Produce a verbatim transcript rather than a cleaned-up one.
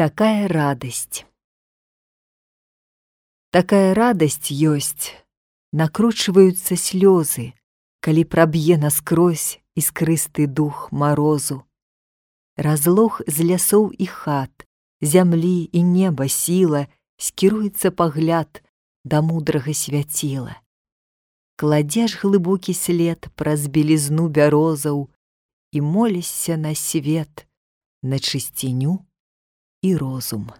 Такая радость. Такая радость ёсць, накручваюцца слёзы, калі праб'е наскрозь іскрысты дух марозу. Разлог з лясоў і хат, зямлі і неба сіла, скіруецца пагляд да мудрага свяціла. Кладзеш глыбокі след праз белізну бярозаў і молішся на свет, на чысціню і розум.